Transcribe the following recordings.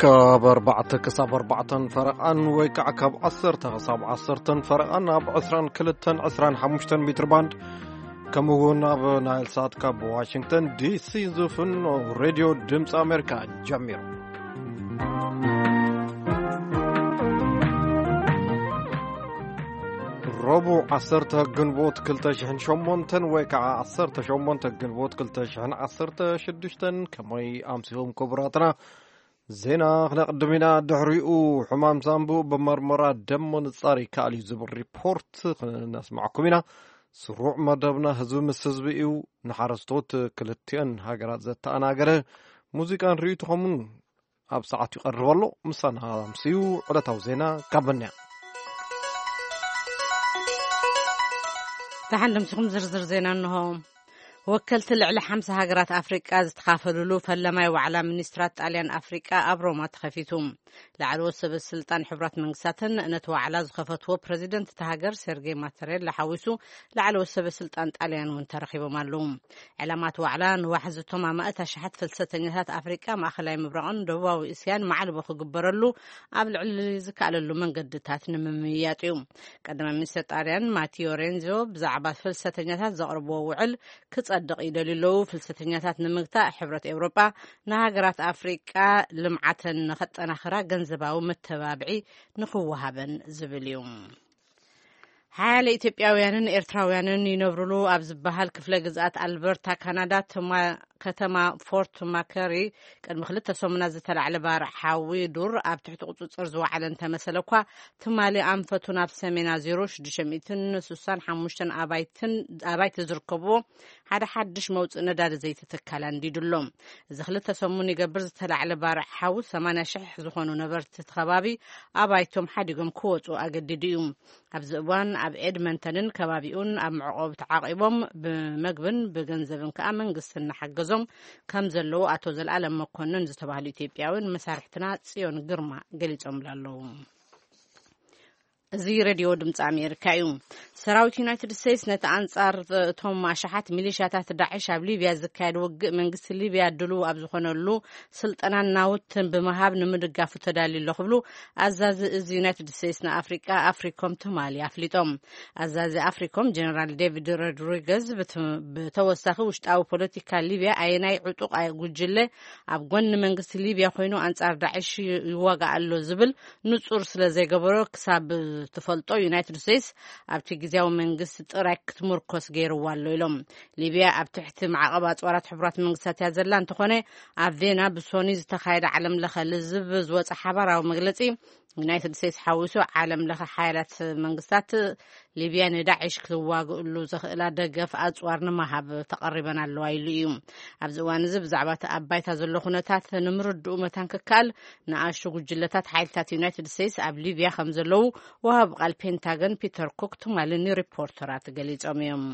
ካብ ኣርባዕተ ክሳብ ኣርባዕተን ፈረቓን ወይ ከዓ ካብ ዓሰርተ ክሳብ ዓሰርተን ፈረቓን ኣብ ዕስራን ክልተን ዕስራን ሓሙሽተን ሜትር ባንድ፣ ከምኡ እውን ኣብ ናይል ሳት ካብ ዋሽንግተን ዲሲ ዝፍኖ ሬድዮ ድምፂ ኣሜሪካ ጀሚሩ። ረቡዕ ዓሰርተ ግንቦት ክልተ ሽሕን ሸሞንተን ወይ ከዓ ዓሰርተ ሸሞንተ ግንቦት ክልተ ሽሕን ዓሰርተ ሽዱሽተን። ከመይ ኣምሲኹም ክቡራትና? ዜና ክነቕድም ኢና። ድሕሪኡ ሕማም ሳንቡእ ብመርመራ ደም ምንጻር ይከኣል እዩ ዝብል ሪፖርት ክነስማዕኩም ኢና። ስሩዕ መደብና ህዝቢ ምስ ህዝቢ እዩ። ንሓረስቶት ክልቲአን ሃገራት ዘተኣናገረ ሙዚቃን ርእይቶኹምን ኣብ ሰዓት ይቐርብ ኣሎ። ምሳና ኣምስዩ ዕለታዊ ዜና ካብ በንያ። ደሓን ደምሲኹም ዝርዝር ዜና እንሆ። ወከልቲ ልዕሊ ሓምሳ ሃገራት ኣፍሪቃ ዝተኻፈልሉ ፈለማይ ዋዕላ ሚኒስትራት ጣልያን ኣፍሪቃ ኣብ ሮማ ተኸፊቱ። ላዕለዎት ሰበ ስልጣን ሕቡራት መንግስታትን ነቲ ዋዕላ ዝኸፈትዎ ፕረዚደንት እታ ሃገር ሴርጌ ማተሬላ ሓዊሱ ላዕለዎት ሰበ ስልጣን ጣልያን እውን ተረኺቦም ኣለዉ። ዕላማት ዋዕላ ንዋሕዚ እቶም ኣማእት ኣሽሓት ፍልሰተኛታት ኣፍሪቃ፣ ማእኸላይ ምብራቕን ደቡባዊ እስያን ማዕልቦ ክግበረሉ ኣብ ልዕሊ ዝከኣለሉ መንገድታት ንምምይያጥ እዩ። ቀዳማይ ሚኒስትር ጣልያን ማቲዮ ሬንዞ ብዛዕባ ፍልሰተኛታት ዘቕርብዎ ውዕል ክጸድቕ ይደልዩ ኣለዉ። ፍልሰተኛታት ንምግታእ ሕብረት ኤውሮጳ ንሃገራት ኣፍሪቃ ልምዓተን ንኸጠናኽራ ገንዘባዊ መተባብዒ ንኽወሃበን ዝብል እዩ። ሓያለ ኢትዮጵያውያንን ኤርትራውያንን ይነብሩሉ ኣብ ዝበሃል ክፍለ ግዝኣት ኣልበርታ ካናዳ ትማ-፣ ከተማ ፎርት ማከሪ ቅድሚ ክልተ ሰሙናት ዝተላዕለ ባርዕ ሓዊ ዱር ኣብ ትሕቲ ቁጽጽር ዝወዓለ እንተመሰለ እኳ፣ ትማሊ ኣንፈቱ ናብ ሰሜን ኣዚሩ ሽዱሽተ ሚእትን ስሳን ሓሙሽተን ኣባይትን፣ ኣባይቲ ዝርከብዎ ሓደ ሓድሽ መውጽኢ ነዳዲ ዘይቲ ትካል ኣንዲዱ ኣሎ። እዚ ክልተ ሰሙን ይገብር ዝተላዕለ ባርዕ ሓዊ ሰማንያ ሽሕ ዝኾኑ ነበርቲ እቲ ከባቢ ኣባይቶም ሓዲጎም ክወጹ ኣገዲዱ እዩ። ኣብዚ እዋን ኣብ ኤድመንተንን ከባቢኡን ኣብ መዕቆቢ ተዓቂቦም ብመግብን ብገንዘብን ከኣ መንግስቲ እናሓገዞም ከም ዘለዉ ኣቶ ዘልኣለም መኮንን ዝተባህሉ ኢትዮጵያዊ ንመሳርሕትና ጽዮን ግርማ ገሊጾምላ ኣለዉ። እዚ ሬድዮ ድምፂ ኣሜሪካ እዩ። ሰራዊት ዩናይትድ ስቴትስ ነቲ ኣንጻር እቶም ኣሽሓት ሚሊሻታት ዳዕሽ ኣብ ሊብያ ዝካየድ ውግእ መንግስቲ ሊብያ ድሉው ኣብ ዝኾነሉ ስልጠናን ናውትን ብምሃብ ንምድጋፉ ተዳልዩ ኣሎ ክብሉ ኣዛዚ እዚ ዩናይትድ ስቴትስ ንኣፍሪቃ ኣፍሪኮም ትማሊ ኣፍሊጦም። ኣዛዚ ኣፍሪኮም ጀነራል ዴቪድ ሮድሪገዝ ብት-፣ ብተወሳኺ ውሽጣዊ ፖለቲካ ሊብያ ኣየናይ ዕጡቕ ጉጅለ ኣብ ጎኒ መንግስቲ ሊብያ ኮይኑ ኣንጻር ዳዕሽ ይዋጋእ ኣሎ ዝብል ንጹር ስለ ዘይገበሮ ክሳብ ትፈልጦ ዩናይትድ ስቴትስ ኣብቲ ግዜያዊ መንግስቲ ጥራይ ክትምርኮስ ገይርዋ ኣሎ ኢሎም። ሊብያ ኣብ ትሕቲ ማዕቐብ ኣጽዋራት ሕቡራት መንግስታት እያ ዘላ። እንተኾነ ኣብ ቬና ብሶኒ ዝተኻየደ ዓለም ለኸ ልዝብ ዝወፀ ሓባራዊ መግለፂ ዩናይትድ ስቴትስ ሓዊሱ ዓለም ለኸ ሓያላት መንግስታት ሊብያ ንዳዕሽ ክዋግእሉ ዘኽእላ ደገፍ ኣጽዋር ንምሃብ ተቐሪበን ኣለዋ ኢሉ እዩ። ኣብዚ እዋን እዚ ብዛዕባ እቲ ኣብ ባይታ ዘሎ ኩነታት ንምርድኡ መታን ክከኣል ንኣሽቱ ጉጅለታት ሓይልታት ዩናይትድ ስቴትስ ኣብ ሊብያ ከም ዘለዉ ወሃቢ ቃል ፔንታገን ፒተር ኩክ ትማሊ ንሪፖርተራት ገሊጾም እዮም።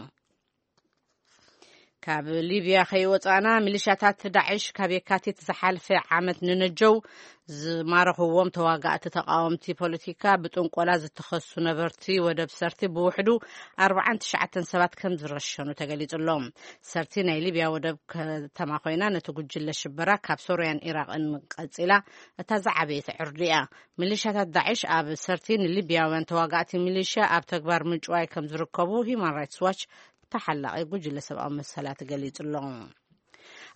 ካብ ሊብያ ከይወጻእና፣ ሚሊሻታት ዳዕሽ ካብ የካቲት ዝሓልፈ ዓመት ንነጀው ዝማረኽዎም ተዋጋእቲ ተቃወምቲ ፖለቲካ ብጥንቆላ ዝተኸሱ ነበርቲ ወደብ ሰርት ብውሕዱ ኣርባዓን ትሽዓተን ሰባት ከም ዝረሸኑ ተገሊጹ ኣሎ። ሰርት ናይ ሊብያ ወደብ ከተማ ኮይና፣ ነቲ ጉጅለ ሽበራ ካብ ሶርያን ኢራቕን ቀጺላ እታ ዝዓበየት ዕርዲ እያ። ሚሊሻታት ዳዕሽ ኣብ ሰርት ንሊብያውያን ተዋጋእቲ ሚሊሻ ኣብ ተግባር ምጭዋይ ከም ዝርከቡ ሂማን ራይትስ ዋች ተሓላቒ ጉጅለ ሰብኣዊ መሰላት ገሊጹ ኣሎ።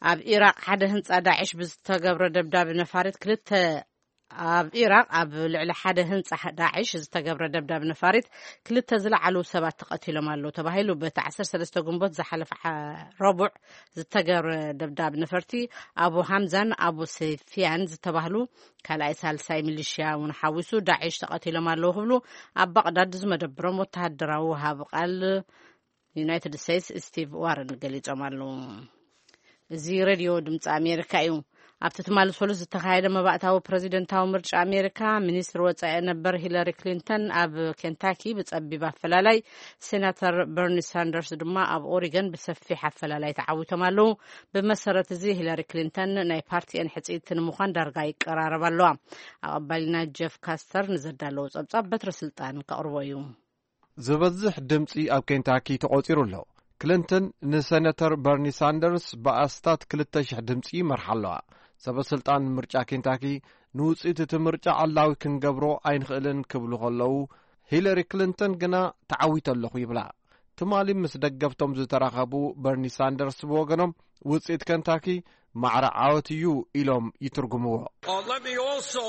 ኣብ ኢራቕ ሓደ ህንጻ ዳዕሽ ብዝተገብረ ደብዳብ ነፋሪት ክልተ፣ ኣብ ኢራቕ ኣብ ልዕሊ ሓደ ህንጻ ዳዕሽ ዝተገብረ ደብዳብ ነፋሪት ክልተ ዝለዓሉ ሰባት ተቐቲሎም ኣለዉ ተባሂሉ። በቲ ዓሰርተ ሰለስተ ግንቦት ዝሓለፈ ሓ-፣ ረቡዕ ዝተገብረ ደብዳብ ነፈርቲ ኣቡ ሃምዛን ኣቡ ሰፊያን ዝተባህሉ ካልኣይ ሳልሳይ ሚሊሽያ እውን ሓዊሱ ዳዕሽ ተቐቲሎም ኣለዉ ክብሉ ኣብ ባቕዳድ ዝመደብሮም ወተሃደራዊ ወሃቢ ቃል ዩናይትድ ስቴትስ ስቲቭ ዋረን ገሊጾም ኣለዉ። እዚ ሬድዮ ድምፂ ኣሜሪካ እዩ። ኣብቲ ትማሊ ሰሉስ ዝተኻየደ መባእታዊ ፕረዚደንታዊ ምርጫ ኣሜሪካ፣ ሚኒስትር ወጻኢ ነበር ሂለሪ ክሊንተን ኣብ ኬንታኪ ብጸቢብ ኣፈላላይ፣ ሴናተር በርኒ ሳንደርስ ድማ ኣብ ኦሪገን ብሰፊሕ ኣፈላላይ ተዓዊቶም ኣለዉ። ብመሰረት እዚ ሂለሪ ክሊንተን ናይ ፓርቲኤን ሕጽይቲ ንምዃን ዳርጋ ይቀራረባ ኣለዋ። ኣቐባሊና ጀፍ ካስተር ንዘዳለዎ ጸብጻብ በትረ ስልጣን ከቕርቦ እዩ። ዝበዝሕ ድምፂ ኣብ ኬንታኪ ተቖፂሩ ኣሎ። ክሊንተን ንሰነተር በርኒ ሳንደርስ ብኣስታት ክልተ ሽሕ ድምፂ ይመርሓ ኣለዋ። ሰበ ስልጣን ምርጫ ኬንታኪ ንውጽኢት እቲ ምርጫ ዕላዊ ክንገብሮ ኣይንኽእልን ክብሉ ከለዉ፣ ሂለሪ ክሊንተን ግና ተዓዊተ ኣለኹ ይብላ። ትማሊ ምስ ደገፍቶም ዝተራኸቡ በርኒ ሳንደርስ ብወገኖም፣ ውጽኢት ከንታኪ ማዕረ ዓወት እዩ ኢሎም ይትርጉምዎ። Uh, let me also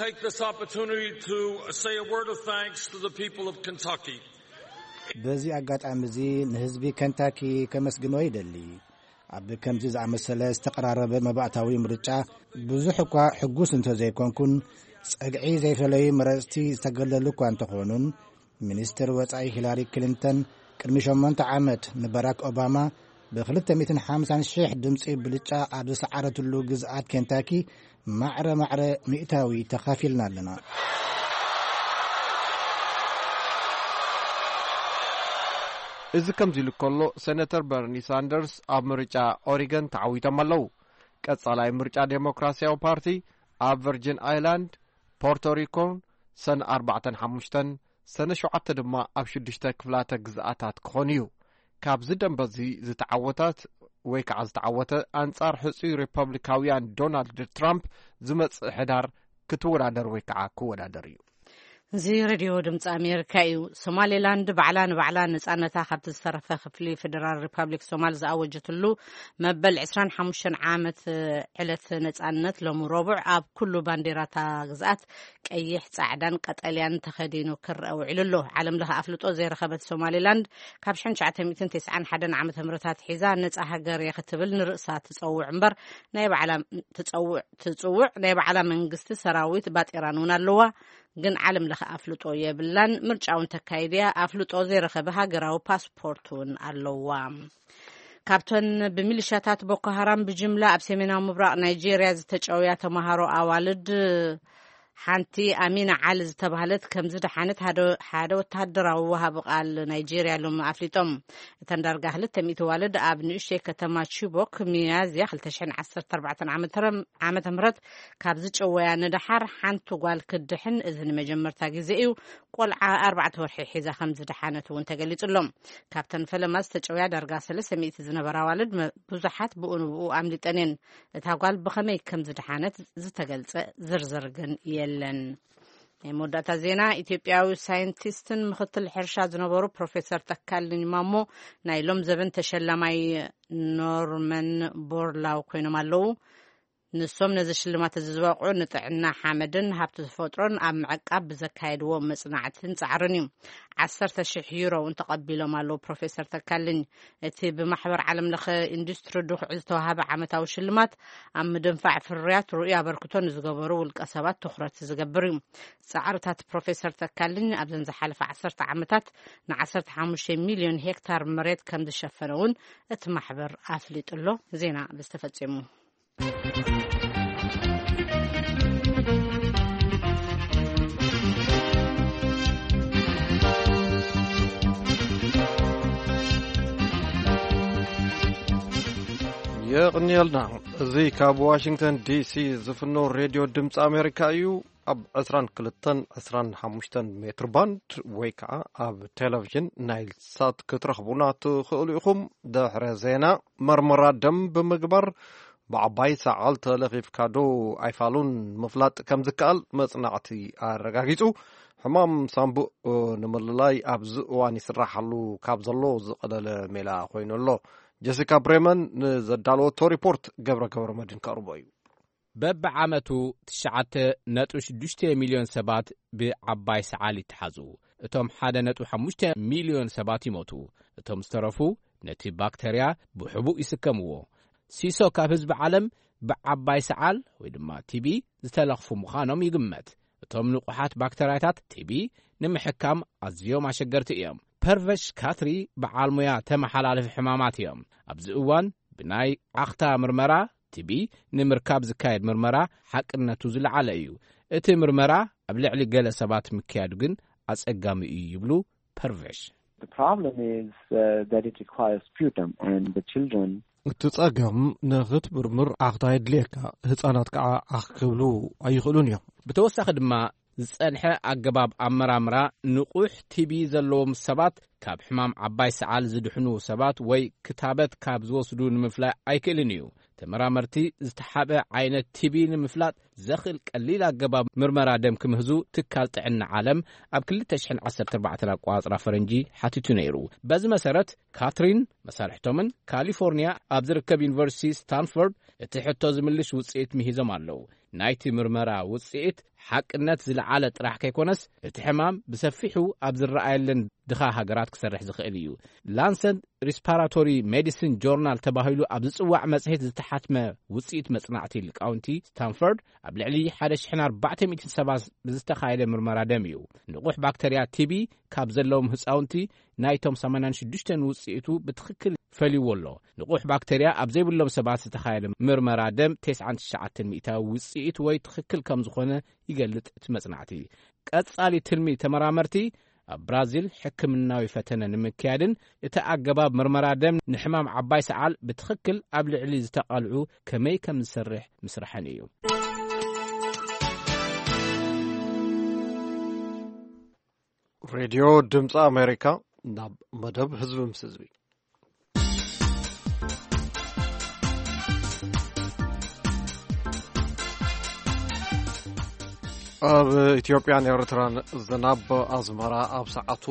take this opportunity to say a word of thanks to the people of Kentucky. በዚ ኣጋጣሚ እዚ ንህዝቢ ከንታኪ ከመስግኖ ይደሊ። ኣብ ከምዚ ዝኣመሰለ ዝተቐራረበ መባእታዊ ምርጫ ብዙሕ እኳ ሕጉስ እንተዘይኮንኩን፣ ጸግዒ ዘይፈለዩ መረጽቲ ዝተገለሉ እኳ እንተኾኑን፣ ሚኒስትር ወጻኢ ሂላሪ ክሊንተን ቅድሚ ሸሞንተ ዓመት ንባራክ ኦባማ ብ250,000 ድምፂ ብልጫ ኣብ ዝሰዓረትሉ ግዝኣት ኬንታኪ ማዕረ ማዕረ ሚእታዊ ተኻፊልና ኣለና። እዚ ከምዚ ኢሉ ከሎ፣ ሴነተር በርኒ ሳንደርስ ኣብ ምርጫ ኦሪገን ተዓዊቶም ኣለዉ። ቀጻላይ ምርጫ ዴሞክራሲያዊ ፓርቲ ኣብ ቨርጂን ኣይላንድ፣ ፖርቶሪኮን ሰነ ኣርባዕተን ሓሙሽተን፣ ሰነ ሸውዓተ ድማ ኣብ ሽዱሽተ ክፍላተ ግዝኣታት ክኾን እዩ። ካብዚ ደንበ እዚ ዝተዓወታት ወይ ከዓ ዝተዓወተ፣ ኣንጻር ሕጹይ ሪፐብሊካውያን ዶናልድ ትራምፕ ዝመጽእ ሕዳር ክትወዳደር ወይ ከዓ ክወዳደር እዩ። እዚ ሬድዮ ድምፂ ኣሜሪካ እዩ። ሶማሌላንድ ባዕላ ንባዕላ ነፃነታ ካብቲ ዝተረፈ ክፍሊ ፌደራል ሪፐብሊክ ሶማል ዝኣወጀትሉ መበል ዕስራን ሓሙሽተን ዓመት ዕለት ነፃነት ሎሚ ረቡዕ ኣብ ኩሉ ባንዴራታ ግዝኣት ቀይሕ፣ ፃዕዳን ቀጠልያን ተኸዲኑ ክረአ ውዒሉ ኣሎ። ዓለም ለኸ ኣፍልጦ ዘይረኸበት ሶማሌላንድ ካብ ሽሕን ትሽዓተ ሚእትን ተስዓን ሓደን ዓመተ ምህረት ኣትሒዛ ነፃ ሃገር እየ ክትብል ንርእሳ ትፀውዕ እምበር ናይ ባዕላ ትፀውዕ ትፅውዕ ናይ ባዕላ መንግስቲ ሰራዊት ባጤራን እውን ኣለዋ። ግን ዓለም ለኸ ኣፍልጦ የብላን። ምርጫ እውን ተካይድያ ኣፍልጦ ዘይረኸበ ሃገራዊ ፓስፖርት እውን ኣለዋ። ካብተን ብሚሊሻታት ቦኮ ሃራም ብጅምላ ኣብ ሰሜናዊ ምብራቕ ናይጄርያ ዝተጨውያ ተምሃሮ ኣዋልድ ሓንቲ ኣሚና ዓሊ ዝተባህለት ከም ዝደሓነት ሓደ ወተሃደራዊ ወሃቢ ቃል ናይጄርያ ሎም ኣፍሊጦም። እተን ዳርጋ ክልተ ሚእቲ ዋልድ ኣብ ንእሽተይ ከተማ ቺቦክ ሚያዝያ ክልተ ሽሕን ዓሰርተ ኣርባዕተን ዓመተ ምህረት ካብ ዝጨወያ ንደሓር ሓንቲ ጓል ክድሕን እዚ ንመጀመርታ ግዜ እዩ። ቆልዓ ኣርባዕተ ወርሒ ሒዛ ከም ዝደሓነት እውን ተገሊጹ ኣሎ። ካብተን ፈለማ ዝተጨውያ ዳርጋ ሰለስተ ሚእቲ ዝነበራ ኣዋልድ ብዙሓት ብኡ ንብኡ ኣምሊጠን እየን። እታ ጓል ብኸመይ ከም ዝደሓነት ዝተገልጸ ዝርዝር ግን የለን። ናይ መወዳእታ ዜና። ኢትዮጵያዊ ሳይንቲስትን ምክትል ሕርሻ ዝነበሩ ፕሮፌሰር ተካልኝ ማሞ ናይ ሎም ዘበን ተሸላማይ ኖርመን ቦርላው ኮይኖም ኣለዉ። ንሶም ነዚ ሽልማት እዚ ዝበቕዑ ንጥዕና ሓመድን ሃብቲ ተፈጥሮን ኣብ ምዕቃብ ብዘካየድዎ መጽናዕትን ጻዕርን እዩ። ዓሰርተ ሽሕ ዩሮ እውን ተቐቢሎም ኣለዉ ፕሮፌሰር ተካልኝ። እቲ ብማሕበር ዓለም ለኸ ኢንዱስትሪ ድኹዒ ዝተዋሃበ ዓመታዊ ሽልማት ኣብ ምድንፋዕ ፍርያት ርኡይ ኣበርክቶ ንዝገበሩ ውልቀ ሰባት ትኹረት ዝገብር እዩ። ጻዕርታት ፕሮፌሰር ተካልኝ ኣብዘን ዝሓለፈ ዓሰርተ ዓመታት ን15 ሚልዮን ሄክታር መሬት ከም ዝሸፈነ እውን እቲ ማሕበር ኣፍሊጡ ኣሎ። ዜና ብዝተፈጸሙ የቕንየልና። እዚ ካብ ዋሽንግተን ዲሲ ዝፍኖ ሬድዮ ድምፂ ኣሜሪካ እዩ። ኣብ ዕስራን ክልተን ዕስራን ሓሙሽተን ሜትር ባንድ ወይ ከዓ ኣብ ቴሌቪዥን ናይል ሳት ክትረኽቡና ትኽእሉ ኢኹም። ድሕረ ዜና። መርመራ ደም ብምግባር ብዓባይ ሰዓል ተለኺፍካ ዶ ኣይፋሉን ምፍላጥ ከም ዝከኣል መጽናዕቲ ኣረጋጊጹ። ሕማም ሳምቡእ ንምልላይ ኣብዚ እዋን ይስራሓሉ ካብ ዘሎ ዝቐለለ ሜላ ኮይኑ ኣሎ። ጀሲካ ብሬመን ንዘዳለወቶ ሪፖርት ገብረ ገብረ መድን ከቕርቦ እዩ። በብዓመቱ ትሽዓተ ነጥቢ ሽዱሽተ ሚልዮን ሰባት ብዓባይ ሰዓል ይተሓዙ። እቶም ሓደ ነጥቢ ሓሙሽተ ሚልዮን ሰባት ይሞቱ። እቶም ዝተረፉ ነቲ ባክተርያ ብሕቡእ ይስከምዎ። ሲሶ ካብ ህዝቢ ዓለም ብዓባይ ሰዓል ወይ ድማ ቲቢ ዝተለኽፉ ምዃኖም ይግመት። እቶም ንቑሓት ባክተርያታት ቲቢ ንምሕካም ኣዝዮም ኣሸገርቲ እዮም። ፐርቨሽ ካትሪ በዓል ሙያ ተመሓላልፊ ሕማማት እዮም። ኣብዚ እዋን ብናይ ዓኽታ ምርመራ ቲቢ ንምርካብ ዝካየድ ምርመራ ሓቅነቱ ዝለዓለ እዩ። እቲ ምርመራ ኣብ ልዕሊ ገለ ሰባት ምክያዱ ግን ኣጸጋሚ እዩ ይብሉ ፐርቨሽ። The problem is uh, that it requires sputum, and the children እቲ ጸገም ንኽትምርምር ዓኽታ የድልየካ። ህጻናት ከዓ ዓኽ ክብሉ ኣይኽእሉን እዮም። ብተወሳኺ ድማ ዝጸንሐ ኣገባብ ኣመራምራ ንቑሕ ቲቢ ዘለዎም ሰባት ካብ ሕማም ዓባይ ሰዓል ዝድሕኑ ሰባት ወይ ክታበት ካብ ዝወስዱ ንምፍላይ ኣይክእልን እዩ። ተመራመርቲ ዝተሓበ ዓይነት ቲቢ ንምፍላጥ ዘኽእል ቀሊል ኣገባብ ምርመራ ደም ክምህዙ ትካል ጥዕና ዓለም ኣብ ክልተ ሽሕን ዓሰርተ ኣርባዕተን ኣቋጽራ ፈረንጂ ሓቲቱ ነይሩ። በዚ መሰረት ካትሪን መሳርሕቶምን ካሊፎርኒያ ኣብ ዝርከብ ዩኒቨርሲቲ ስታንፎርድ እቲ ሕቶ ዝምልሽ ውጽኢት ምሂዞም ኣለዉ። ናይቲ ምርመራ ውጽኢት ሓቅነት ዝለዓለ ጥራሕ ከይኮነስ፣ እቲ ሕማም ብሰፊሑ ኣብ ዝረኣየለን ድኻ ሃገራት ክሰርሕ ዝኽእል እዩ። ላንሰት ሪስፓራቶሪ ሜዲሲን ጆርናል ተባሂሉ ኣብ ዝጽዋዕ መጽሔት ዝተሓትመ ውጽኢት መጽናዕቲ ሊቃውንቲ ስታንፎርድ ኣብ ልዕሊ ሓደ ሽሕን ኣርባዕተ ሚእትን ሰባት ብዝተኻየደ ምርመራ ደም እዩ። ንቑሕ ባክተርያ ቲቢ ካብ ዘለዎም ህጻውንቲ ናይቶም ሰማንያን ሽዱሽተን ውጽኢቱ ብትኽክል ፈልይዎ ኣሎ። ንቑሕ ባክተርያ ኣብ ዘይብሎም ሰባት ዝተኻየደ ምርመራ ደም ተስዓን ትሽዓተን ሚእታዊ ውጽኢት ወይ ትኽክል ከም ዝኾነ ይገልጽ እቲ መጽናዕቲ። ቀጻሊ ትልሚ ተመራመርቲ ኣብ ብራዚል ሕክምናዊ ፈተነ ንምክያድን እቲ ኣገባብ ምርመራ ደም ንሕማም ዓባይ ሰዓል ብትኽክል ኣብ ልዕሊ ዝተቓልዑ ከመይ ከም ዝሰርሕ ምስራሕን እዩ። ሬድዮ ድምፂ ኣሜሪካ፣ ናብ መደብ ህዝቢ ምስ ህዝቢ። ኣብ ኢትዮጵያን ኤርትራን ዝናብ ኣዝመራ ኣብ ሰዓቱ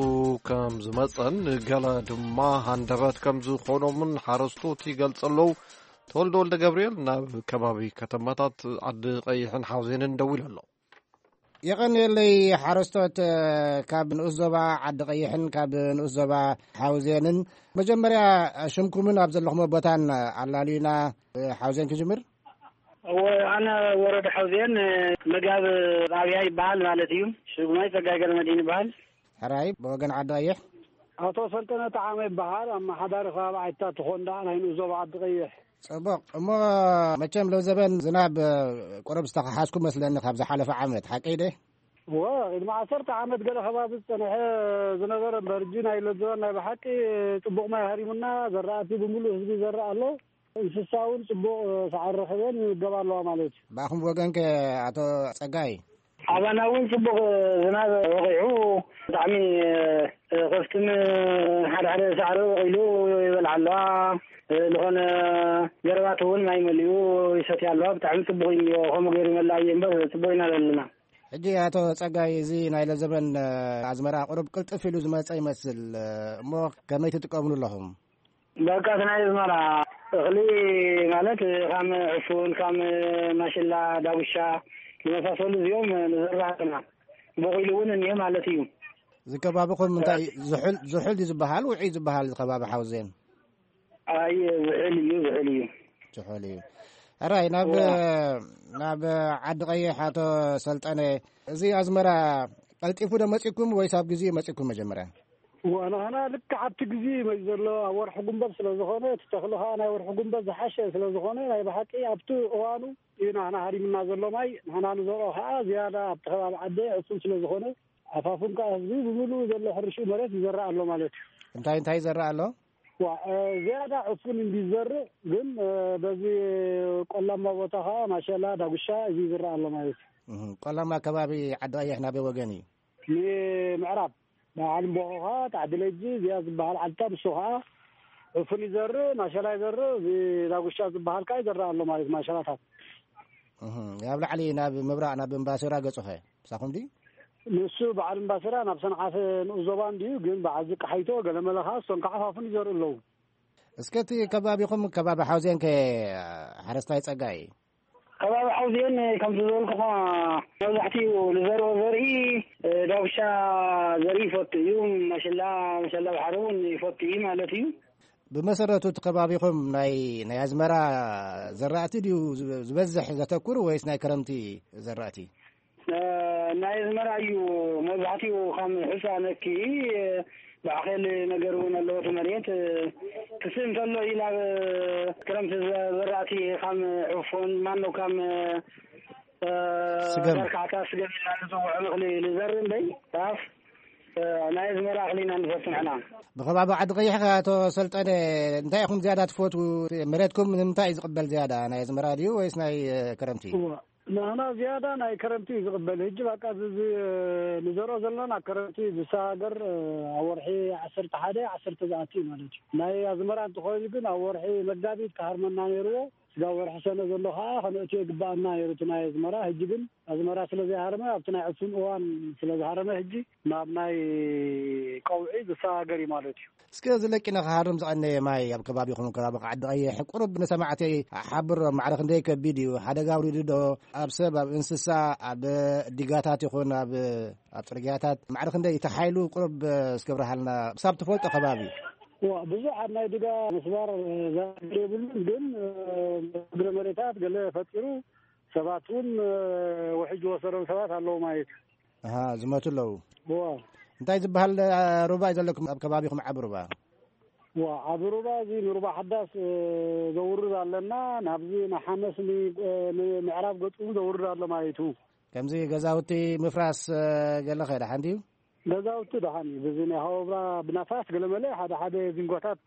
ከም ዝመፀን ገለ ድማ ሃንደበት ከም ዝኾኖምን ሓረስቶት ይገልፁ ኣለዉ። ተወልደ ወልደ ገብርኤል ናብ ከባቢ ከተማታት ዓዲ ቀይሕን ሓውዜንን ደዊሉ ኣሎ። የቐንየለይ ሓረስቶት ካብ ንኡስ ዞባ ዓዲ ቀይሕን ካብ ንኡስ ዞባ ሓውዜንን። መጀመርያ ሽምኩምን ኣብ ዘለኹም ቦታን ኣላልዩና። ሓውዜን ክጅምር። ኣነ ወረዳ ሓውዜን መጋብ ኣብያ ይበሃል ማለት እዩ። ሽጉማይ ጸጋይ ገረመድህን ይበሃል። ሕራይ ብወገን ዓዲ ቀይሕ። ኣቶ ሰልጠነ ጠዓመ ይበሃል። ኣመሓዳሪ ከባቢ ዓይታት ትኾንዳ ናይ ንኡስ ዞባ ዓዲ ቀይሕ። ጽቡቕ እሞ፣ መቸም ሎዘበን ዝናብ ቁሩብ ዝተኸሓዝኩ መስለኒ ካብ ዝሓለፈ ዓመት፣ ሓቀይ ደ? እወ፣ ቅድሚ ዓሰርተ ዓመት ገለ ከባቢ ዝጸንሐ ዝነበረ እምበር፣ ሕጂ ናይ ሎዘበን ናይ ብሓቂ ጽቡቕ ማይ ሃሪሙና፣ ዘራእቲ ብምሉእ ህዝቢ ይዘርእ ኣሎ። እንስሳ እውን ጽቡቕ ሳዕሪ ረኺበን ይምገባ ኣለዋ ማለት እዩ። ብኣኹም ወገን ከ ኣቶ ጸጋይ? ኣባና እውን ጽቡቕ ዝናብ ወቒዑ፣ ብጣዕሚ ከፍትን ሓደ ሓደ ሳዕሪ ወቒሉ ይበልዓ ኣለዋ። ዝኾነ ገረባት እውን ማይ መሊኡ ይሰትያ ኣለዋ። ብጣዕሚ ጽቡቕ እዩ እኒኦ። ከምኡ ገይሩ ይመልኣ እየ እምበር ጽቡቕ ኢና ዘለና። ሕጂ ኣቶ ጸጋይ፣ እዚ ናይ ለዘበን ኣዝመራ ቁሩብ ቅልጥፍ ኢሉ ዝመጸ ይመስል እሞ ከመይ ትጥቀምሉ ኣለኹም? በቃ እቲ ናይ ኣዝመራ እኽሊ ማለት ከም ዕፉን፣ ከም ማሽላ፣ ዳጉሻ ዝመሳሰሉ እዚኦም ንዘርእ ኣለና። ቦቒሉ እውን እኒሀ ማለት እዩ። እዚ ከባቢኹም እንታይ እዩ? ዝሑል ዝሑል እዩ ዝበሃል፣ ውዑይ ዝበሃል እዚ ከባቢ ሓውዜን? ኣይ ዝሑል እዩ፣ ዝሑል እዩ። ዝሑል እዩ። ሕራይ ናብ ናብ ዓዲ ቀይሕ ኣቶ ሰልጠነ፣ እዚ ኣዝመራ ቀልጢፉ ዶ መጺኩም ወይስ ኣብ ግዜኡ መጺኩም መጀመርያ? ንሕና ልክዕ ኣብቲ ግዜ እዩ ዘሎ፣ ኣብ ወርሒ ጉንበት ስለ ዝኾነ፣ እቲ ተኽሊ ኸዓ ናይ ወርሒ ጉንበት ዝሓሸ ስለ ዝኾነ፣ ናይ ብሓቂ ኣብቲ እዋኑ እዩ ንሕና ሃሪምና ዘሎ ማይ። ንሕና ንዘርኦ ኸዓ ዝያዳ ኣብቲ ከባቢ ዓደ ዕፉን ስለ ዝኾነ፣ ኣፋፉን ከዓ ህዝቢ ብምሉኡ ዘሎ ሕርሽኡ መሬት ይዘርእ ኣሎ ማለት እዩ። እንታይ እንታይ ይዘርእ ኣሎ? ዋ ዝያዳ ዕፉን እንዲ ዝዘርእ፣ ግን በዚ ቆላማ ቦታ ኸዓ ማሸላ፣ ዳጉሻ እዚ ይዝርእ ኣሎ ማለት እዩ። ቆላማ ከባቢ ዓዲ ቀይሕ ናበይ ወገን እዩ? ንምዕራብ በዓል እምቦኾኻ፣ ታዕዲ ለጂ፣ እዚኣ ዝበሃል ዓድታ፣ ንሱ ኸዓ ዕፉን ይዘርእ፣ ማሸላ ይዘርእ፣ እዚ ዳጉሻ ዝበሃል ከዓ ይዘርእ ኣሎ ማለት ማሸላታት። እህ፣ ኣብ ላዕሊ ናብ ምብራቕ ናብ እምባሲራ ገጹኸ ምሳኹም ድዩ? ንሱ በዓል እምባሲራ ናብ ሰንዓፈ ንኡስ ዞባ እንድዩ፣ ግን በዓል ዝቃሓይቶ ገለመለ ኸዓ እሶም ከዓ ፋፉን ይዘርኡ ኣለዉ። እስከ እቲ ከባቢኹም ከባቢ ሓውዜን ከ ሓረስታይ ጸጋይ? ከባቢ ሓውዜን ከምቲ ዝበልኩኻ መብዛሕትኡ ንዘርኦ ዘርኢ ዳጉሻ ዘርኢ ይፈቱ እዩ። መሸላ መሸላ ባሕሪ እውን ይፈቱ እዩ ማለት እዩ። ብመሰረቱ እቲ ከባቢኹም ናይ ናይ ኣዝመራ ዘራእቲ ድዩ ዝበዝሕ ዘተኩር ወይስ ናይ ክረምቲ ዘራእቲ? ናይ ኣዝመራ እዩ መብዛሕትኡ ከም ሕፃ ነኪ ባዕኼል ነገር እውን ኣለዎ እቲ መሬት ክስእ እንተሎ እዩ ናብ ክረምቲ ዘራእቲ ከም ዕፎን ማኖ ከም ስገም ዳርካዕታ ስገም ኢልና ንፅውዖ እኽሊ ንዘርእ እምበይ ጣፍ ናይ ኣዝመራ እኽሊ ኢና ንፈቱ ንሕና። ብኸባቢ ዓዲ ቀይሕ ከ ኣቶ ሰልጠነ እንታይ ኢኹም ዝያዳ ትፈትዉ? መሬትኩም ንምንታይ እዩ ዝቕበል ዝያዳ ናይ ኣዝመራ ድዩ ወይስ ናይ ክረምቲ? እዋ ንሕና ዝያዳ ናይ ክረምቲ እዩ ዝቕበል። ሕጂ በቃ እዚ ንዘርኦ ዘለና ክረምቲ ዝሰጋገር ኣብ ወርሒ ዓሰርተ ሓደ ዓሰርተ ዝኣቱ እዩ ማለት እዩ። ናይ ኣዝመራ እንተኾይኑ ግን ኣብ ወርሒ መጋቢት ክሃርመና ነይርዎ። እዛ ወርሒ ሰነ ዘሎ ከዓ ከነእትዮ ይግባኣና ነይሩ እቲ ናይ ኣዝመራ። ሕጂ ግን ኣዝመራ ስለ ዘይሃረመ፣ ኣብቲ ናይ ዕፉን እዋን ስለ ዝሃረመ፣ ሕጂ ናብ ናይ ቀውዒ ዝሰጋገር እዩ ማለት እዩ። እስከ ዝለቂ ንኽሃርም ዝቐነየ ማይ ኣብ ከባቢኹም፣ ከባቢ ዓዲ ቀይሕ፣ ቁሩብ ንሰማዕተይ ሓብሮ። ማዕረ ክንደይ ከቢድ እዩ? ሓደጋ ኣውሪዱ ዶ ኣብ ሰብ፣ ኣብ እንስሳ፣ ኣብ ዲጋታት ይኹን ኣብ ኣብ ጽርግያታት? ማዕረ ክንደይ እቲ ሓይሉ ቁሩብ እስከ ብርሃልና፣ ክሳብ ትፈልጦ ከባቢ። ዋ፣ ብዙሕ ኣብ ናይ ድጋ ምስባር ዘብል የብሉን፣ ግን እግረ መሬታት ገለ ፈጢሩ፣ ሰባት እውን ውሕጅ ወሰዶም ሰባት ኣለዉ ማለት እዩ። ኣሃ፣ ዝመቱ ኣለዉ። ዋ። እንታይ ዝበሃል ሩባ እዩ ዘለኩም ኣብ ከባቢኹም? ዓቢ ሩባ። ዋ፣ ዓቢ ሩባ እዚ ንሩባ ሓዳስ ዘውርድ ኣለና። ናብዚ ንሓመስ ን-፣ ንምዕራብ ገጹ እውን ዘውርድ ኣሎ ማለት እዩ። ከምዚ ገዛውቲ ምፍራስ ገለ ኸ ደሓን ድዩ? ገዛውቲ ደሓን እዩ። በዚ ናይ ሃወብራ ብናፋስ ገለመለ ሓደ ሓደ ዚንጎታት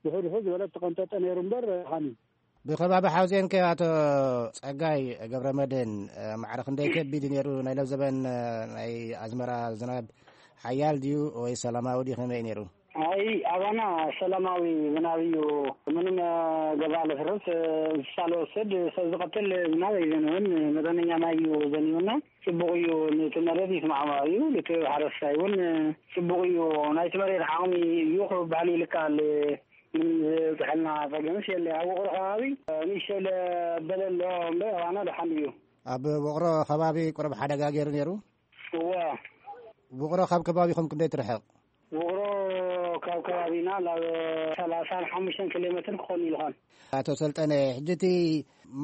ውሕድ ውሕድ ዝበለ ተቐንጠጠ ነይሩ እምበር ደሓን እዩ። ብኸባቢ ሓውዜን ከ ኣቶ ጸጋይ ገብረ መድህን፣ ማዕረ ክንደይ ከቢድ እዩ ነይሩ? ናይ ለብዘበን ናይ ኣዝመራ ዝናብ ሓያል ድዩ ወይ ሰላማዊ ድዩ? ከመይ እዩ ነይሩ? ኣይ፣ ኣባና ሰላማዊ ዝናብ እዩ። ምንም ገዛ ለፍርስ፣ እንስሳ ለወስድ፣ ሰብ ዝቐትል ዝናብ ኣይዘንብን። መጠነኛ ማይ እዩ ዘንብና። ጽቡቕ እዩ። ነቲ መሬት ይስማዕማዕ እዩ። ነቲ ሓረስታይ እውን ጽቡቕ እዩ። ናይቲ መሬት ዓቕሚ እዩ ክበሃል ይልካል። ምንም ዝብጽሐልና ጸገምስ የለ። ኣብ ውቕሮ ከባቢ ንእሽተይ ለበለ ኣሎ እምበር ኣባና ደሓን እዩ። ኣብ ውቕሮ ከባቢ ቁሩብ ሓደጋ ገይሩ ነይሩ? እዋ። ውቕሮ ካብ ከባቢኹም ክንደይ ትርሕቕ? ውቕሮ ካብ ከባቢና ናብ ሰላሳን ሓሙሽተን ኪሎ ሜትር ክኾን ይልኾን። ኣቶ ሰልጠነ፣ ሕጂ እቲ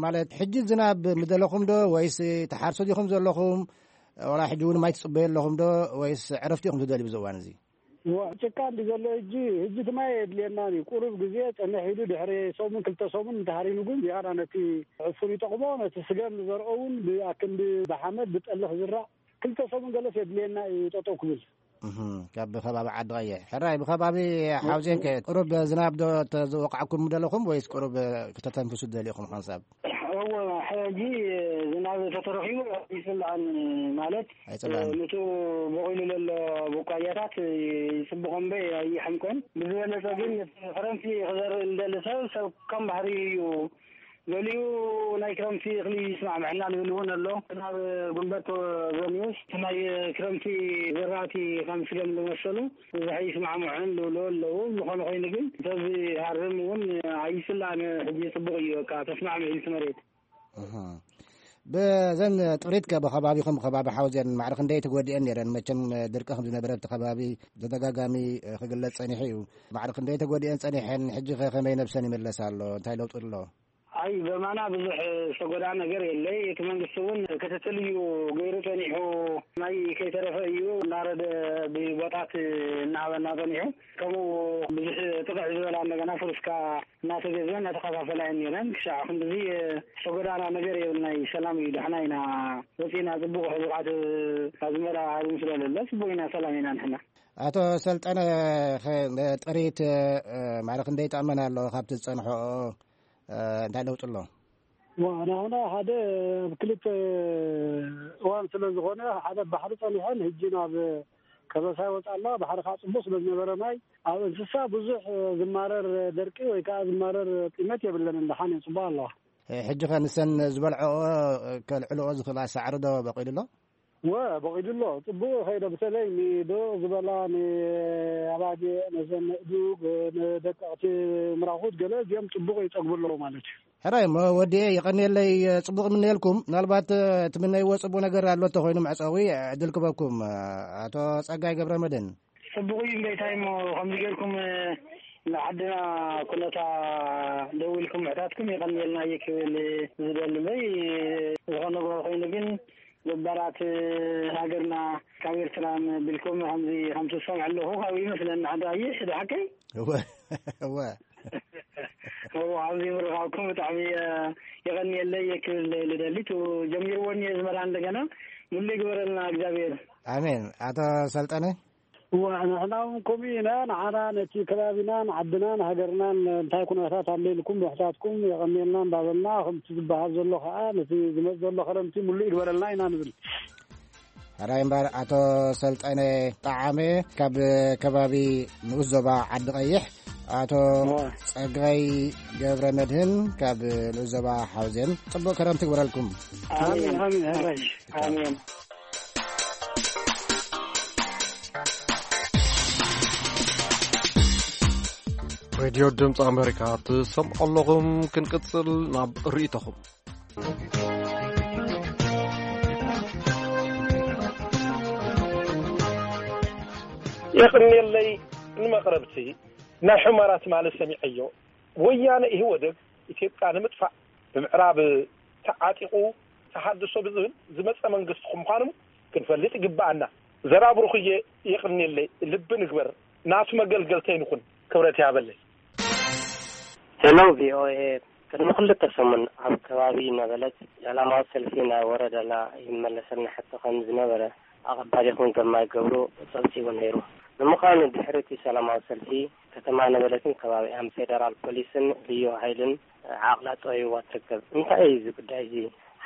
ማለት ሕጂ ዝናብ ምደለኹም ዶ ወይስ ትሓርሱ ዲኹም ዘለኹም? ዋላ ሕጂ እውን ማይ ትጽበዩ ኣለኹም ዶ ወይስ ዕረፍቲ ኢኹም ትደልዩ ብዚ እዋን እዚ? ዋ፣ ጭቃ እንዲ ዘሎ ሕጂ፣ ሕጂ እቲ ማይ የድልየና እዩ። ቁሩብ ግዜ ጸንሕ ኢሉ ድሕሪ ሰሙን ክልተ ሰሙን እንተሃሪኑ ግን ዝያዳ ነቲ ዕፉን ይጠቕሞ፣ ነቲ ስገም ንዘርኦ እውን ብኣክንዲ ብሓመድ ብጠሊ ክዝራእ ክልተ ሰሙን ገለስ የድልየና እዩ ጠጠው ክብል። እህ፣ ካብ ከባቢ ዓዲ ቀይሕ። ሕራይ፣ ብከባቢ ሓውዜን ከ ቁሩብ ዝናብ ዶ ተዝወቃዕኩም ደለኹም ወይስ ቁሩብ ክተተንፍሱ ደሊኹም ሓንሳብ? እወ፣ ሕጂ ዝናብ ተተረኺቡ ይጽላእን ማለት ኣይጽላእን። ንቱ በቂሉ ዘሎ ቡቃያታት ይጽብቖ እምበይ ኣይሕምቆን። ብዝበለጸ ግን ክረምቲ ክዘርእ እንደሊ ሰብ፣ ሰብ ከም ባህሪ እዩ ገሊኡ ናይ ክረምቲ እኽሊ ይስማዕምዐና ዝብል እውን ኣሎ። ናብ ጉንበት ዘንዩስ ናይ ክረምቲ ዘራእቲ ከም ስገም ዝመሰሉ ብዙሕ ይስማዕምዑን ዝብሉ ኣለዉ። ዝኾነ ኮይኑ ግን እንተዝሃርም እውን ኣይስላን። ሕጂ ጽቡቕ እዩ፣ በቃ ተስማዕሚዑ እቲ መሬት። እህ። ብዘን ጥሪት ከ ብኸባቢኹም፣ ብኸባቢ ሓውዜን ማዕረ ክንደይ ተጎዲአን ነይረን? መቸም ድርቂ ከም ዝነበረ ኣብቲ ከባቢ ተደጋጋሚ ክግለጽ ጸኒሑ እዩ። ማዕረ ክንደይ ተጎዲአን ጸኒሐን? ሕጂ ከ ከመይ ነብሰን ይምለስ ኣሎ? እንታይ ለውጢ ኣሎ? ኣይ፣ በማና ብዙሕ ዝተጎድኣ ነገር የለይ። እቲ መንግስቲ እውን ክትትል እዩ ገይሩ ጸኒሑ። ማይ ከይተረፈ እዩ እናረደ ብቦታት እናሃበና ጸኒሑ። ከምኡ ብዙሕ ጥቕዕ ዝበላ እንደገና ፍርስካ እናተገዝአ እናተኸፋፈላ እየን ነይረን። ክሻዕ ክንድዚ ዝተጎዳእና ነገር የብልናይ። ሰላም እዩ፣ ደሕና ኢና ወፂና። ጽቡቕ ሕቡቓት ኣዝመራ ሃብም ስለለለ ጽቡቕ ኢና፣ ሰላም ኢና ንሕና። ኣቶ ሰልጠነ፣ ኸ-፣ ጥሪት፣ እ፣ ማዕረ ክንደይ ተኣመን ኣሎ ካብቲ ዝጸንሖ፣ እ፣ እንታይ ለውጢ ኣሎ? ዋ፣ ንሕና ሓደ ኣብ ክልተ እዋን ስለ ዝኾነ፣ ሓደ ባሕሪ ጸኒሐን፣ ሕጂ ናብ ከበሳ ይወጽእ ኣለዋ። ባሕሪ ከዓ ጽቡቕ ስለ ዝነበረ ማይ፣ ኣብ እንስሳ ብዙሕ ዝማረር ደርቂ ወይ ከዓ ዝማረር ጢመት የብለንን። ደሓን እየን፣ ጽቡቕ ኣለዋ። እ፣ ሕጂ ኸ ንሰን ዝበልዐኦ ከልዕልኦ ዝኽእላ ሳዕሪ ዶ በቂሉ ኣሎ? ወ፣ በቂዱ ኣሎ። ጽቡቕ ኸይደ፣ በተለይ ንዶ ዝበላ፣ ንኣባጊዕ፣ ነዘን ንእዱግ፣ ንደቀቕቲ ምራኹት ገለ እዚኦም ጽቡቕ ይጸግቡ ኣለዉ ማለት እዩ። ሕራይ እሞ ወዲኤ፣ የቐንየለይ፣ ጽቡቕ እምነየልኩም። ምናልባት፣ እ፣ ትምነይዎ ጽቡቕ ነገር ኣሎ እንተኾይኑ መዕጸዊ ዕድል ክበኩም። ኣቶ ጸጋይ ገብረ መድህን። ጽቡቕ እዩ እምበይታይ እሞ ከምዚ ጌርኩም፣ እ፣ ንዓድና ኩነታ ደው ኢልኩም ምሕታትኩም የቐንየልና እየ ክብል ዝደሊ እምበይ፣ ዝኾነ ነገር ኮይኑ ግን ገባራት ሃገርና ካብ ኤርትራ ቢልኩም ከምዚ ከምቲ ዝሰምዐ ኣለኹ ካብኡ ይመስለኒ። ዓዲ ቀይሕ፣ እዚ ሓቀይ? እወ፣ እወ። እወ፣ ኣብዚ ምርኻብኩም ብጣዕሚ፣ እ፣ የቐንየለይ እየ ክብል ልደሊ። ቱ ጀሚርዎ እኒኦ ዝመራ እንደገና ሙሉ ይግበረልና እግዚኣብሔር። ኣሜን። ኣቶ ሰልጠነ? እወ፣ ንሕና እውን ከምኡ ኢና። ንዓና ነቲ ከባቢናን ዓድናን ሃገርናን እንታይ ኩነታት ኣሎ ኢልኩም ምሕታትኩም የቐንየልና እንዳበልና፣ ከምቲ ዝበሃል ዘሎ ከዓ ነቲ ዝመጽእ ዘሎ ክረምቲ ሙሉእ ይግበረልና ኢና ንብል። ሕራይ እምበር ኣቶ ሰልጠነ ጠዓመ ካብ ከባቢ ንኡስ ዞባ ዓዲ ቀይሕ ኣቶ ጸጋይ ገብረ መድህን ካብ ልኡዞባ ሓውዜን፣ ጽቡቕ ከረምቲ ግበረልኩም። ኣሜን፣ ኣሜን፣ ኣሜን፣ ኣሜን። ሬድዮ ድምፂ ኣሜሪካ ትሰምዑ ኣለኹም። ክንቅፅል ናብ ርእይቶኹም። የቕንየለይ ንመቕረብቲ ናይ ሑመራ ትማሊ ሰሚዐዮ። ወያነ ኢህወደግ ኢትዮጵያ ንምጥፋእ ብምዕራብ ተዓጢቑ ተሃድሶ ብዝብል ዝመፀ መንግስቲ ምዃኑ ክንፈልጥ ይግብኣና። ዘራብሩኽየ የቕንየለይ፣ ልቢ ንግበር፣ ናቱ መገልገልተይ ንኹን። ክብረት ይሃበለይ። ሄሎ ቪ ኦ ኤ፣ ቅድሚ ክልተ ሰሙን ኣብ ከባቢ ነበለት ሰላማዊ ሰልፊ ናይ ወረደላ ይመለሰልና ሕቶ ከም ዝነበረ ኣቐባሊኹም ግርማይ ገብሩ ጸብጺቡ ነይሩ። ንምዃኑ ድሕሪ እቲ ሰላማዊ ሰልፊ ከተማ ነበለትን ከባቢኣን ፌደራል ፖሊስን ልዩ ሓይልን ዓቕላ ጠውይዋ ትርከብ። እንታይ እዩ እዚ ጉዳይ እዚ?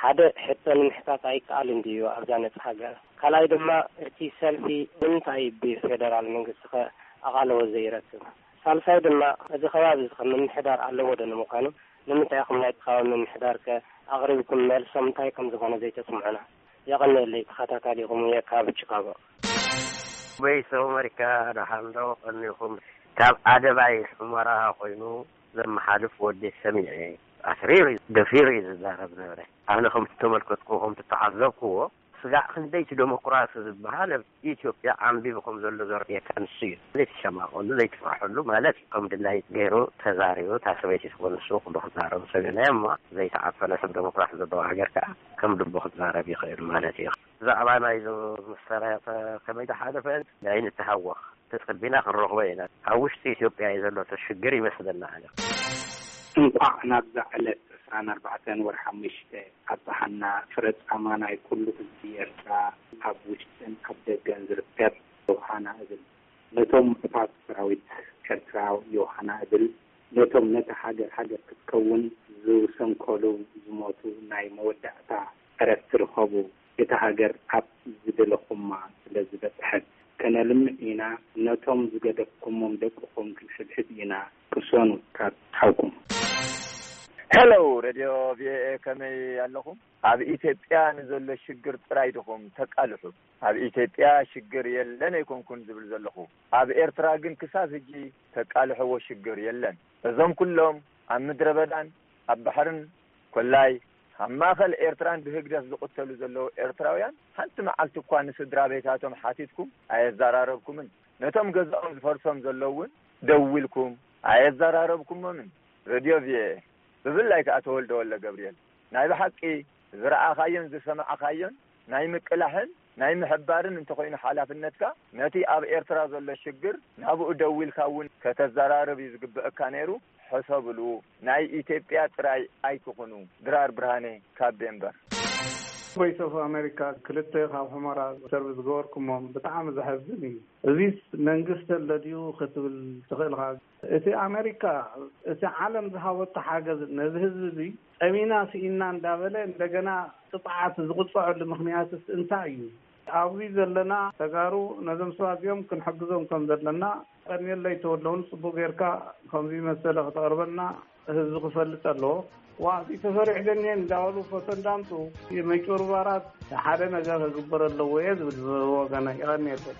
ሓደ ሕቶ ንምሕታት ኣይከኣልን ድዩ ኣብዛ ነጻ ሃገር? ካልኣይ ድማ እቲ ሰልፊ ንምንታይ ብፌደራል መንግስቲ ከ ኣቓልቦ ዘይረክብ? ሳልሳይ ድማ እዚ ከባቢ እዚ ከ ምምሕዳር ኣለዎ ዶ ንምዃኑ? ንምንታይ ኢኹም ናይቲ ከባቢ ምምሕዳር ከ ኣቕሪብኩም መልሶም እንታይ ከም ዝኾነ ዘይተስምዑና? የቐንየለይ ተኸታታሊኹም እየ ካብ ቺካጎ። ቮይስ ኦፍ ኣሜሪካ ደሓን ዶ ቀኒኹም? ካብ ኣደባይ ሑመራ ኮይኑ ዘመሓልፍ ወዲ ሰሚዐ። ኣትሪሩ እዩ፣ ደፊሩ እዩ ዝዛረብ ነበረ። ኣነ ከም ዝተመልከትኩ፣ ከም ዝተዓዘብክዎ፣ ስጋዕ ክንደይቲ ዴሞክራሲ ዝበሃል ኣብ ኢትዮጵያ ዓንቢቡ ከም ዘሎ ዘርእየካ ንሱ እዩ። ዘይትሸማቐሉ፣ ዘይትፍርሐሉ ማለት እዩ። ከም ድላይ ገይሩ ተዛሪቡ፣ እታ ሰበይቲ ትኾን ንሱ ኩሉ ክዛረቡ ሰሚዕናዮ እሞ፣ ዘይተዓፈነ ሰብ ዴሞክራሲ ዘለዎ ሃገር ከኣ ከም ልቡ ክዛረብ ይኽእል ማለት እዩ። ብዛዕባ ናይዞም ምስ ሰራያት ከመይ ዝሓለፈ ኣይንተሃወኽ። ተጸቢና ክንረኽቦ ኢና። ኣብ ውሽጢ ኢትዮጵያ እዩ ዘሎ እቲ ሽግር ይመስለና ኣነ። እንቋዕ ናብዛ ዕለት ዕስራን ኣርባዕተን ወርሒ ሓሙሽተ ኣብጽሓና። ፍረ ጻማ ናይ ኩሉ ህዝቢ ኤርትራ ኣብ ውሽጥን ኣብ ደገን ዝርከብ ዮሃና እብል። ነቶም ምዑታት ሰራዊት ኤርትራ ዮሃና እብል። ነቶም ነታ ሃገር ሃገር ክትከውን ዝሰንከሉ ዝሞቱ ናይ መወዳእታ ዕረፍቲ ርኸቡ። እታ ሃገር ኣብ ዝደለኹማ ስለ ዝበጽሐት፣ ከነልምዕ ኢና። ነቶም ዝገደፍኩሞም ደቅኹም ክንሕብሕብ ኢና። ቅሰኑ ካብ ሓውኩም። ሄሎ፣ ሬድዮ ቪ ኦ ኤ፣ ከመይ ኣለኹም? ኣብ ኢትዮጵያ ንዘሎ ሽግር ጥራይ ድኹም ተቃልሑ? ኣብ ኢትዮጵያ ሽግር የለን ኣይኮንኩን ዝብል ዘለኹ። ኣብ ኤርትራ ግን ክሳብ ሕጂ ተቃልሕዎ ሽግር የለን። እዞም ኩሎም ኣብ ምድረ በዳን ኣብ ባሕርን ኮላይ ኣብ ማእከል ኤርትራን ብህግደፍ ዝቕተሉ ዘለዉ ኤርትራውያን፣ ሓንቲ መዓልቲ እኳ ንስድራ ቤታቶም ሓቲትኩም ኣየዘራረብኩምን። ነቶም ገዛኦም ዝፈርሶም ዘለዉ እውን ደዊልኩም ኣየዘራረብኩሞምን። ሬድዮ ቪ ኦ ኤ፣ ብፍላይ ከኣ ተወልደ ወልደ ገብርኤል፣ ናይ ብሓቂ ዝረኣኻዮን ዝሰማዕኻዮን ናይ ምቅላሕን ናይ ምሕባርን እንተኾይኑ ሓላፍነትካ፣ ነቲ ኣብ ኤርትራ ዘሎ ሽግር ናብኡ ደዊልካ እውን ከተዘራርብ እዩ ዝግብአካ ነይሩ። ሕሰብሉ፣ ናይ ኢትዮጵያ ጥራይ ኣይትኹኑ። ድራር ብርሃነ ካብ ዴንቨር። ቮይስ ኦፍ ኣሜሪካ፣ ክልተ ካብ ሑመራ ሰርቪ ዝገበርኩሞም ብጣዕሚ ዘሐዝን እዩ። እዚስ መንግስቲ ኣሎ ድዩ ክትብል ትኽእል ኢኻ። እቲ ኣሜሪካ፣ እቲ ዓለም ዝሃበቶ ሓገዝ ነዚ ህዝቢ እዚ ጸሚና ስኢና እንዳበለ እንደገና ቅጽዓት ዝቕጽዐሉ ምኽንያትስ እንታይ እዩ? ኣብዚ ዘለና ተጋሩ ነዞም ሰባት እዚኦም ክንሕግዞም ከም ዘለና ቀንየለይ ተወደውን ጽቡቕ ጌርካ ከምዚ መሰለ ከተቕርበልና ህዝቢ ክፈልጥ ኣለዎ። ዋ፣ እዚ ተፈሪሕ ደንየን እንዳበሉ ፎቶ እንዳምጹ፣ መጭበርባራት ሓደ ነገር ክግበር ኣለዎ እየ ዝብል ብወገነይ። የቐንየለይ።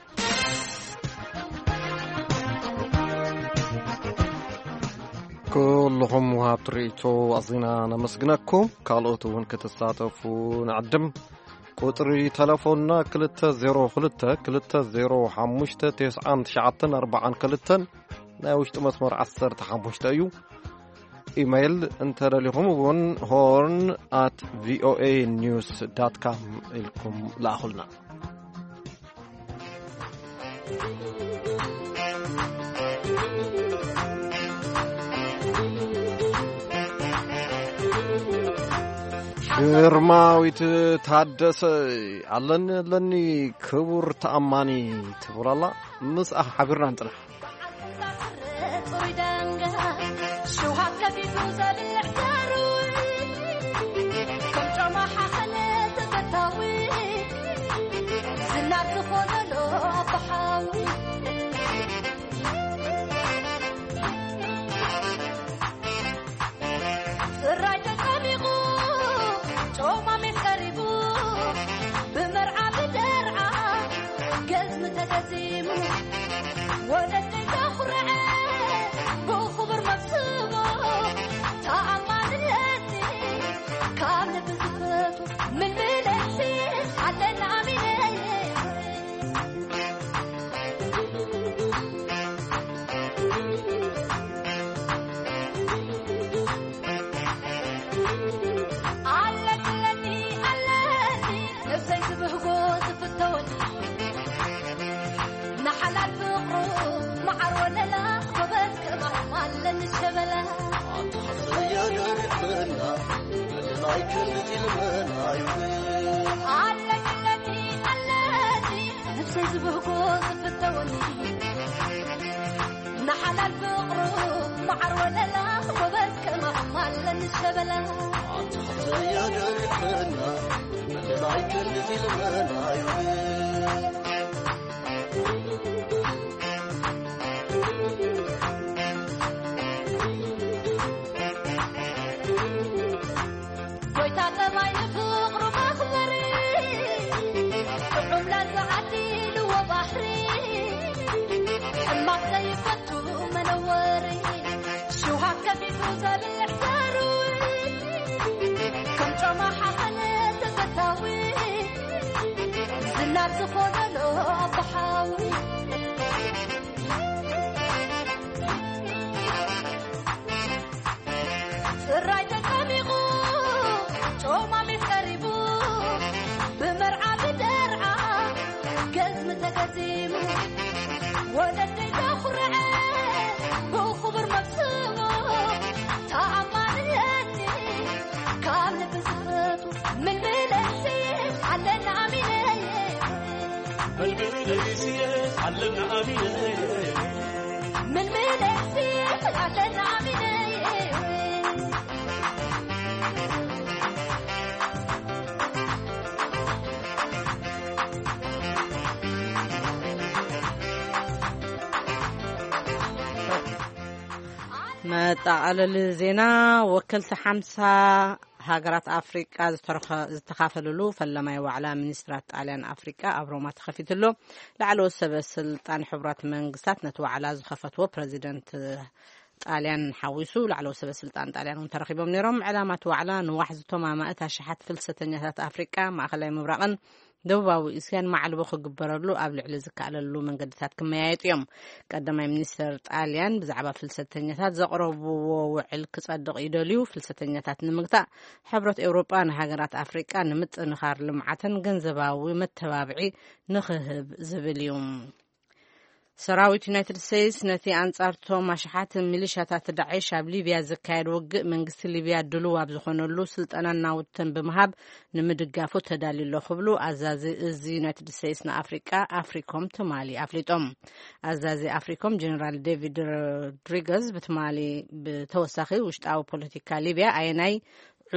ኩልኹም ወሃብቲ ርእይቶ ኣዚና ነመስግነኩም። ካልኦት እውን ክትሳተፉ ንዕድም። ቁጽሪ ተለፎንና ክልተ ዜሮ ክልተ ክልተ ዜሮ ሓሙሽተ ተስዓን ትሽዓተን ኣርባዓን ክልተን፣ ናይ ውሽጢ መስመር ዓሰርተ ሓሙሽተ እዩ። ኢሜይል እንተደሊኹም እውን ሆርን ኣት ቪ ኦ ኤ ኒውስ ዳት ካም ኢልኩም ለኣኹልና። ግርማዊት ታደሰ፣ ኣለኒ ኣለኒ ክቡር ተኣማኒ ትብል ኣላ። ምስኣ ሓቢርና ንጽናሕ። ሸበላ ኣታ ኸፍተያ ደሪቕና፣ በደላይ ክንዲ ኢልመና ይብል። ኣለኪ ኣለኪ ኣለኪ፣ ነብሰይ ዝብህጎ ዝፍተወኒ፣ ንሓላል ፍቕሩ መዓር ወለላ፣ ጎበዝ ከማኹም ኣለኒ ሸበላ። ኣታ ኸፍተያ ደሪቕና፣ በደላይ ክንዲ ኢልመና ይብል። ጎይታ ጠባይ ንፍቕሩ መኽበሪ፣ ጥዑም ለዛ ዓዲልዎ ባሕሪ፣ ሕማቕ ዘይፈቱ መነወሪ፣ ሽውሃት ከፊቱ ዘብልዕ ዘርዊ፣ ከም ጮማ ሓኸነ ተፈታዊ፣ ዝናብ ዝኾነሎ ኣቦሓዊ። ጽራይ ተጸሚቑ ጮማ ሜስ ቀሪቡ፣ ብመርዓ ብደርዓ ገዝሚ ተገዚሙ፣ ወለደይ ዘኹርዐ ብኽቡር መብስሙ፣ ተኣማንነቲ ካብ ልቢ ዝፈቱ፣ ምልምለሲ ኣለና ኣሚነይ። ምልምለሲ ኣለና ኣሚነይ። ምልምለሲ ኣለና ኣሚነይ። መጠቓለሊ ዜና። ወከልቲ ሓምሳ ሃገራት ኣፍሪቃ ዝተረኸ-፣ ዝተኻፈለሉ ፈለማይ ዋዕላ ሚኒስትራት ጣልያን ኣፍሪቃ ኣብ ሮማ ተኸፊቱ ኣሎ። ላዕለዎት ሰበ ስልጣን ሕቡራት መንግስታት ነቲ ዋዕላ ዝኸፈትዎ ፕረዚደንት ጣልያን ሓዊሱ ላዕለዎት ሰበ ስልጣን ጣልያን እውን ተረኺቦም ነይሮም። ዕላማ እቲ ዋዕላ ንዋሕዚ ቶም ኣማእት ኣሽሓት ፍልሰተኛታት ኣፍሪቃ፣ ማእኸላይ ምብራቕን ደቡባዊ እስያን ማዕልቦ ክግበረሉ ኣብ ልዕሊ ዝከኣለሉ መንገድታት ክመያየጡ እዮም። ቀዳማይ ሚኒስተር ጣልያን ብዛዕባ ፍልሰተኛታት ዘቕረብዎ ውዕል ክጸድቕ ይደልዩ። ፍልሰተኛታት ንምግታእ ሕብረት ኤውሮጳ ንሃገራት ኣፍሪቃ ንምጥንኻር ልምዓተን ገንዘባዊ መተባብዒ ንኽህብ ዝብል እዩ። ሰራዊት ዩናይትድ ስቴትስ ነቲ ኣንጻርቶም ኣሽሓት ሚሊሻታት ዳዕሽ ኣብ ሊብያ ዝካየድ ውግእ መንግስቲ ሊብያ ድሉው ኣብ ዝኾነሉ ስልጠናን ናውትን ብምሃብ ንምድጋፉ ተዳልዩ ኣሎ ክብሉ ኣዛዚ እዚ ዩናይትድ ስቴትስ ንኣፍሪቃ ኣፍሪኮም ትማሊ ኣፍሊጦም። ኣዛዚ ኣፍሪኮም ጀነራል ዴቪድ ሮድሪገዝ ብትማሊ ብተወሳኺ ውሽጣዊ ፖለቲካ ሊብያ ኣየናይ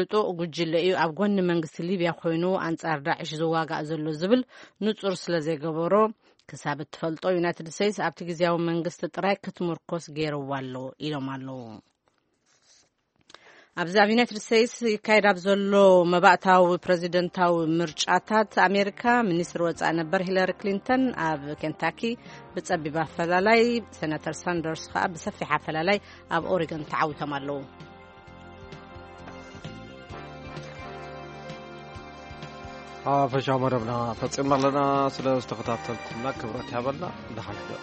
ዕጡቕ ጉጅለ እዩ ኣብ ጎኒ መንግስቲ ሊብያ ኮይኑ ኣንጻር ዳዕሽ ዝዋጋእ ዘሎ ዝብል ንጹር ስለ ዘይገበሮ ክሳብ እትፈልጦ ዩናይትድ ስቴትስ ኣብቲ ግዜያዊ መንግስቲ ጥራይ ክትምርኮስ ገይርዋ ኣሎ ኢሎም ኣለዉ። ኣብዚ ኣብ ዩናይትድ ስቴትስ ይካየድ ኣብ ዘሎ መባእታዊ ፕረዚደንታዊ ምርጫታት ኣሜሪካ ሚኒስትር ወጻኢ ነበር ሂለሪ ክሊንተን ኣብ ኬንታኪ ብጸቢብ ኣፈላላይ፣ ሴናተር ሳንደርስ ከኣ ብሰፊሕ ኣፈላላይ ኣብ ኦሪገን ተዓዊቶም ኣለዉ። ሓፈሻዊ መደብና ፈጺምና ኣለና። ስለ ዝተኸታተልኩምና ክብረት ይሃበልና። ደሓን ሕደሩ።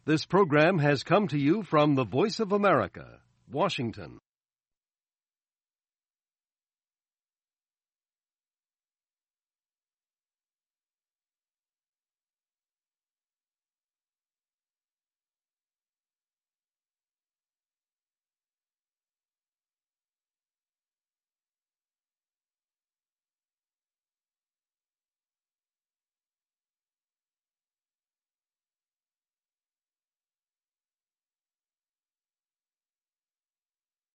This program has come to you from the Voice of America, Washington.